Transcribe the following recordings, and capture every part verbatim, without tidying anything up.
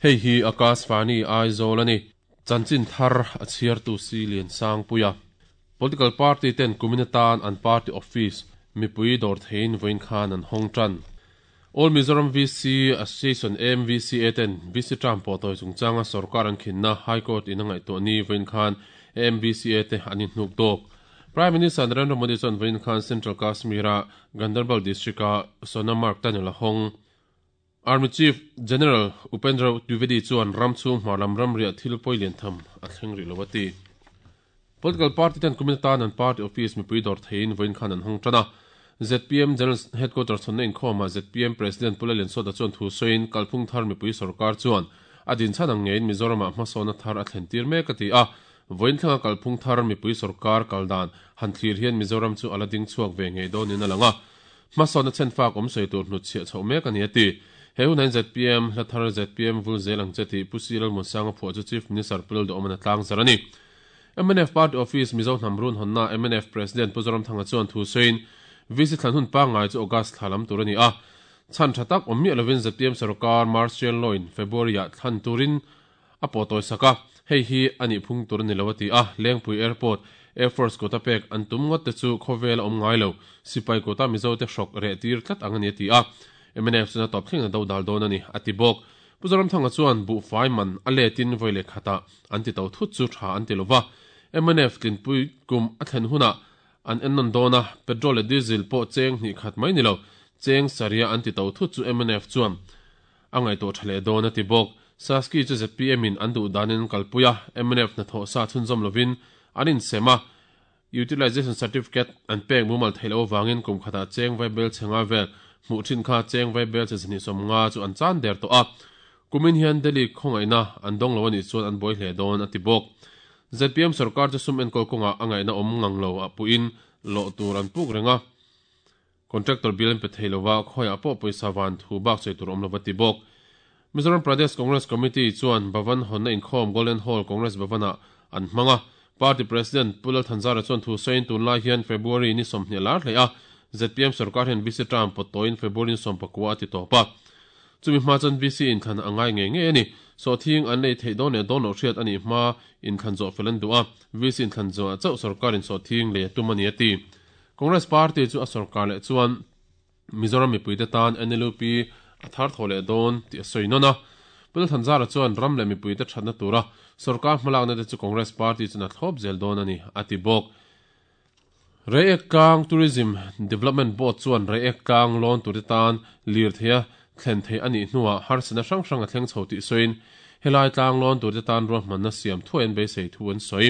Hei hi Akashvani Aizawl ani. Chanchin thar a chhiar tu si lian sang puia. Political party ten kuminatan an party office mipui dawr theiin vawiin khan an hawng tan. All Mizoram V C Association M V C A ten V C term pawh tawi chungchanga sarkar an khinna High Court in a ngaihtuah ni vawiin khan M V C A te an inhnuk dawk. Prime Minister Narendra Modi chuan vawiin khan Central Kashmir-a Ganderbal district-a Sonamarg tunnel a hawng. Army Chief General Upendra Dwivedi chuan ram chhung hmarlam ramriah thil pawi lian tham a thleng rih lo a ti. Political party ten kumin atan an party office mipui dawr theiin vawiin khan an hawng tan a. Z P M General Headquarters chhawnna inkhawmah Z P M President Pu Lalliansawta chuan thu sawiin kalphung thar mipui sarkar chuan a dinchhan ang ngeiin Mizoramah hmasawna thar a thlen tir mek a ti a. Vawiin thlenga kalphung thar mipui sarkar kal dan han thlir hian Mizoram chu a la ding chhuak ve ngei dawnin a lang a. Hmasawna chhenfak awm sawi tur hnutchhiah chhoh mek a ni a ti. He hun hian Z P M hla thar Z P M vul zel ang che tih Pu Si Lalmuansanga phuah chu Chief Minister Pu Lalduhawmana tlang zar a ni. M N F Party Office Mizo Hnamrun hawnna M N F President Pu Zoramthanga chuan thu sawiin V C thlan hun pangngai chu August thla lam tur a ni a. Chhan tha tak awm miah lovin Z P M sarkar Martial Law in February-ah thlan turin a pawh tawi sak a. Hei hi a nih phung tur a ni lo a ti a. Lengpui Airport, Air Force kawta pek an tum ngawt te chu khawvel a awm ngai lo. Sipai kawta Mizo te hrawk reh tir tlat ang a ni a ti a. M N F chuna tawp thleng a do dal dawn a ni a ti bawk. Pu Zoramthanga chuan buh fai man a letin vawi leh khatah an ti to thut chu tha an ti lova. M N F tlinpui kum a thlen hunah an ennawn dawn a, petrol leh diesel pawh cheng hnih khat mai ni lo, cheng saria an ti to thut chu M N F chuan a ngaihtuah tha leh dawn a ti bawk. Saski chu Z P M in an duh danin kalpui a, M N F hnathawh sa chhunzawm lovin an insem a. Utilization certificate an pek mumal theih loh avangin kum khatah cheng vai bel chhenga vel hmuh thin kha cheng vai bel che zahnih sawm nga chu an chan der tawh a. Kumin hian Delhi khawngaihna an dawng lo a nih chuan an buai hle dawn a ti bawk. Z P M sarkar chu sum enkawl kawngah a ngaihna awm ngang lo a puhin lawh tur an puk reng a. Contractor bill an pe thei lova khawiah pawh pawisa van thu bak sawi tur awm lova ti bawk. Mizoram Pradesh Congress Committee chuan Bhavan hawnna inkhawm Golden Hall Congress Bhavanah an hmang a. Party President Pu Lalthanzara chuan thu sawiin tunlai hian February ni sawmhnih a lar hle a. Z P M sarkar hian V C term pawt tawiin February ni sawm pakua a ti tawp a. Chumi hma chuan V C inthlan a ngai ngei ngei a ni. Sawhthing an lei theih dawn leh dawn loh hriat a nih hma inthlan zawh fel an duh a. V C inthlan zawhah chauh sarkar in sawhthing lei a tum a ni a ti. Congress Party chu a sarkar leh chuan Mizoram mipuite tan N L U P a thar thaw leh dawn tih a sawi nawn a. Pu Lalthanzara chuan ram leh mipuite thatna tura sarkar hmalakna te chu Congress Party chuan a thlawp zel dawn a ni a ti bawk. Reiek Tlang Tourism Development Board chuan Reiek Tlang lawn tur te tan lir theia thlen thei a nih hnuah harsatna hrang hrang a thleng chho tih sawiin helai tlang lawn tur te tan ruahmanna siam thuai an beisei thu an sawi.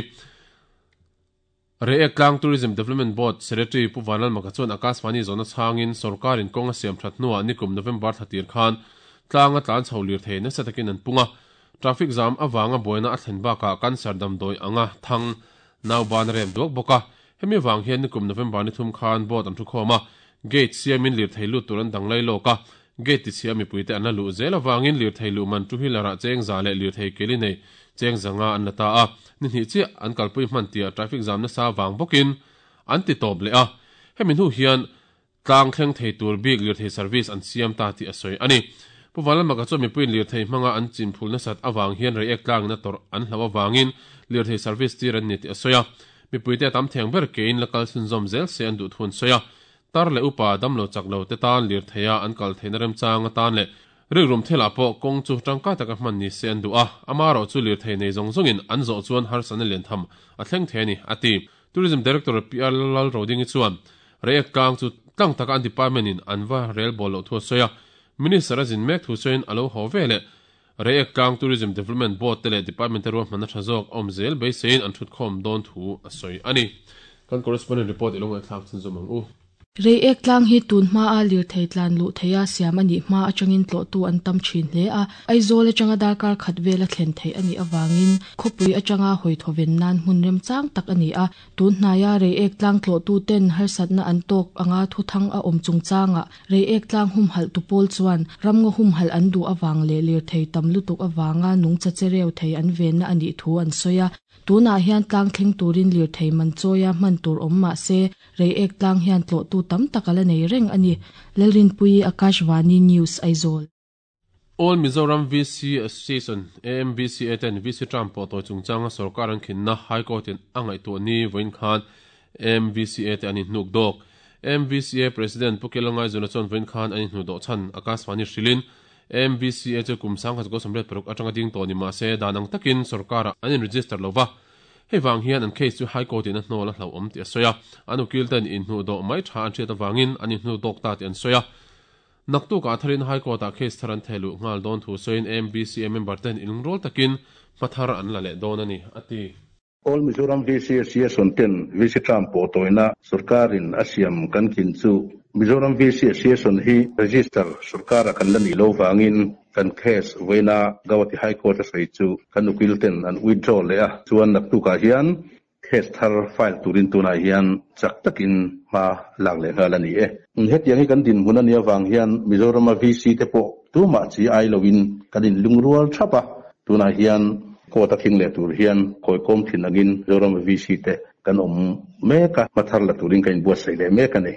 Reiek Tlang Tourism Development Board Secretary Pu Vanlalmaka chuan Akashvani zawhna chhangin sarkarin kawng a siam that hnuah nikum November thlatir khan tlang a tlan chho lir thei nasa takin an pung a. Traffic jam awanga buaina a thlen bakah cancer damdawi anga thang nauban a rem duak bawk a. Hemi wang hian nikum November ni thum khan board an thu khawm a. Gate siamin lir thei lut tur an dang lai lawk a. Gate ti chhia mipuite an la luh zel awangin lir thei luh man two-wheeler-ah cheng za leh lir thei keli nei cheng zanga an la ta a. Ni hnih chiah an kalpui hman tia traffic jam nasa wang bawkin an ti tawp leh a. Hemi hnu hian tlang thleng thei tur bik lir thei service an siam ta tih a sawi a ni. Pu Vanlalmaka chuan mipuiin lir thei hmanga an chin phul nasat awang hian Reiek tlangin a tawrh an hlo awangin lir thei service tir an ni tih a sawi a. Mipuite a tam theng ber kein la kal chhunzawm zel se an duh thu an sawi a. Tar leh upa damlo chak lo te tan lir theia an kal theihna remchang atan leh rikrum thelah pawh kawng chu tangkai taka hman ni se an duh a. Ama erawh chu lir thei nei zawng zawngin an zawh chuan harsatna lian tham a thleng thei a ni a ti. Tourism Director P R Lalrodingi chuan Reiek Tlang chu tlang taka an department in an va rel bawl loh thu a sawi a. Minister a zin mek thu sawiin a lo haw ve leh Reiek Tlang Tourism Development Board te leh department te ruahmanna tha zawk awm zel beiseiin an thut khawm dawn thu a sawi a ni. Kan correspondent report i lo ngaihthlak chhunzawm ang u. Reiek Tlang hi tun hma a lir thei tlan luh theia siam a nih hma atangin tlawhtu an tam thin hle a. Aizawl atanga darkar khat vel a thlen theih a nih awangin khawpui atanga hawi thawven nan hmun remchang tak a ni a. Tun hnaia Reiek Tlang tlawhtu ten harsatna an tawk anga thu thang a awm chungchanga Reiek Tlang hum halh tu pawl chuan ramngaw hum halh an duh awang leh lir thei tam lutuk awanga nungcha chereu thei an venna a nih thu an sawi a. Tunah hian tlang thleng turin lir thei man chawia hman tur awm mah se Reiek Tlang hian tlawhtu tam tak a la nei reng a ni. Lalrinpui Akashvani News Aizawl. All Mizoram V C Association A M V C A ten V C term pawh tawi chungchanga sarkar an khinna High Court in a ngaihtuah ni vawiin khan A M V C A te an inhnuk dawk. A M V C A President Pu Kelongai Zuna chuan vawiin khan an inhnu dawh chhan Akashvani hrilin A M V C A chu kum sang khat sawmriat paruk atanga ding tawh ni mahse dan ang takin sarkar an in register lova. Hei wang hian an case chu High Court in a hnawl a hlauhawm tih a sawi a. An ukil ten inhnu dawh mai tha an hriat avangin an inhnu dawk ta tih an sawi a. Naktuk a tharin High Court a case thar an thehluh ngal dawn thu sawiin A M V C A member ten inlungrual takin hmathar an la leh dawn a ni a ti. All Mizoram V C Association ten V C term pawh tawina sarkarin a siam kan khin chu Mizoram V C Association hi register sarkar a kan la ni lo wangin kan case vawiina Guwahati High Court a sawi chu kan ukil ten an withdraw leh a chuan naktukah hian case thar file turin tunah hian chak takin hma lak leh nghal a ni e. Hetiang hi kan din hmun a ni avang hian Mizoram a V C te pawh tumah chi ai loin kan inlungrual thap a. Tunah hian court a thing leh tur hian khawi kawm thin angin Mizoram a V C te kan awm mek a hmathar la turin kan inbuatsaih leh mek a ni.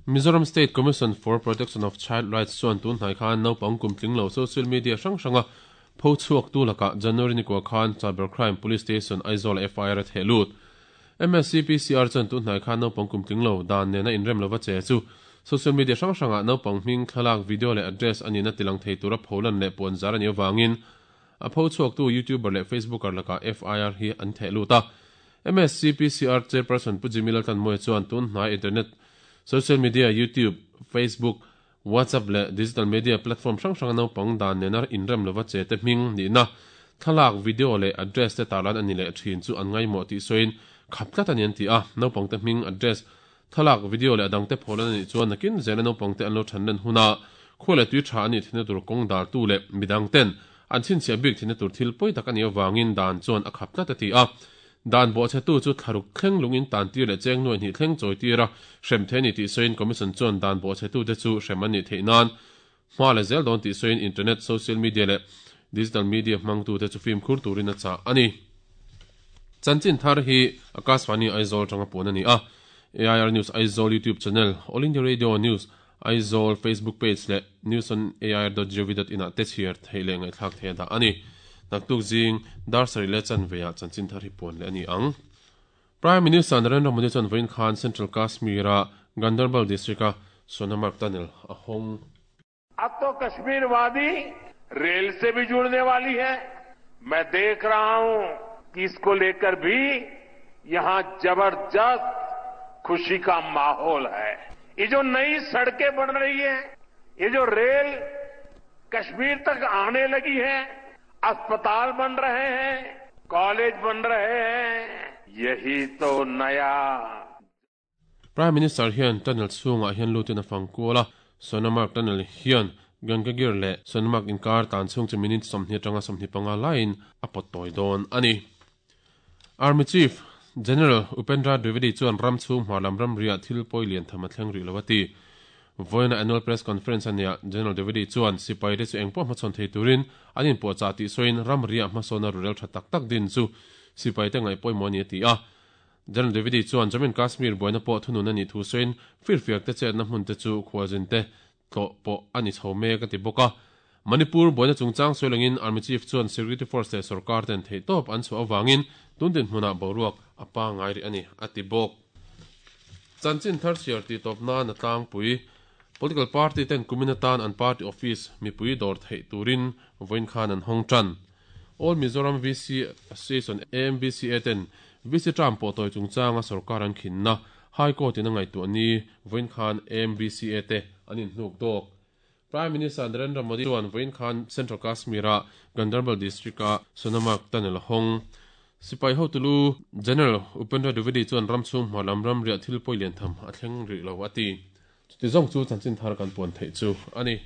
Mizoram State Commission for Protection of Child Rights chuan tun hnai khan naupang kum tling lo social media hrang hranga pho chhuak tu laka January ni kwa khan Cybercrime Police Station Aizawl F I R a thehlut. M S C P C R chuan tun hnai khan naupang kum tling lo dan nena inrem lova che chu social media hrang hranga naupang hming thlalak video leh address ani na tilang thei tura pholan leh puan zar ani awangin a pho chhuak tu YouTuber leh Facebooker laka F I R hi an thehlut a. M S C P C R chairperson Pu Jimmy Laltan Moe chuan tun hnai internet social media YouTube, Facebook, WhatsApp le digital media platform hrang hrang naupang dan nena inrem lova che te hming ni na thlalak video leh address te tarlan ani leh thin chu an ngaimawh tih sawiin khap tlat ani an ti a. Naupang te hming address thlalak video leh adang te pholan ani chuan nakin zela naupang te an lo than len huna khuale tui tha ani thina tur kawng dar tu leh midang ten an chhinchhiah bik thina tur thil pawi tak ani awangin dan chuan a khap tlat a ti a. Dan bo che tu chu tharuk thleng lungin tan tir leh cheng nuai hnih thleng chawi tira hrem the ni tih sawiin commission chuan dan bo che tu te chu hrem ani theih nan hma le zel dawn tih sawiin internet social media leh digital media hmang tu te chu fim khur turin a chah ani. Chanchin thar hi Akashvani Aizawl tanga puan ani a. A I R News Aizawl YouTube channel, All India Radio News Aizawl Facebook page leh news on A I R dot gov dot in ah te chhiar thei leh ngaihthlak thei a dah ani. Naktuk jing dar sari le chan veya chanchin thar hi puan le ani ang. Prime Minister Narendra Modi chuan vawiin khan Central Kashmir a Ganderbal district a Sonamarg tunnel a hawng. अब तो कश्मीर वादी rail से भी जुड़ने वाली है। मैं देख रहा हूं कि इसको लेकर भी यहां जबरदस्त खुशी का माहौल है। ये जो नई सड़कें बन रही है, ये जो रेल कश्मीर तक आने लगी है, अस्पताल बन रहे हैं, कॉलेज बन रहे हैं, यही तो नया। Prime Minister hian tunnel chhungah hian lutin a fangkual a. Sonamarg tunnel hian Gangagir leh Sonamarg inkar tan chhung chu minute sawmhnih atanga sawmhnih panga laiin a pawt tawi dawn ani. Army Chief General Upendra Dwivedi chuan ram chhung hmarlam ram ria thil pawi lian tham a thleng rih lo a ti. Vawiina annual press conference ania General Dwivedi chuan sipai te chu engpawh hmachhawn thei turin an inpawh chah tih sawiin ram ria hmasawna rurel tha tak tak din chu sipai te ngaih pawimawh ani a ti a. General Dwivedi chuan Jammu and Kashmir buaina pawh thunun ani thu sawiin firfiak te chetna hmun te chu khualzin te tlawh pawh ani chho mek a ti bawk a. Manipur buaina chungchang sawilangin Army Chief chuan Security Force leh sarkar ten thei tawp an chhuah awangin tundin hmunah boruak a pa ngai ri ani a ti bawk. Chanchin thar chhiar ti tawp nan a tlangpui political party ten kumin atan an party office mipui dawr theih turin vawiin khan an hawng tan. All Mizoram V C Association A M V C A ten V C term pawh tawi chungchanga sarkar an khinna High Court in a ngaihtuah ni vawiin khan A M V C A te an inhnuk dawk. Prime Minister Narendra Modi chuan vawiin khan Central Kashmir a Ganderbal district a Sonamarg tunnel hawng. Sipai hotulu General Upendra Dwivedi chuan ram chhung hmarlam ram ria thil pawi lian tham a thleng rih lo a ti. Chuti zawng chu chanchin thar kan puan theih chu ani.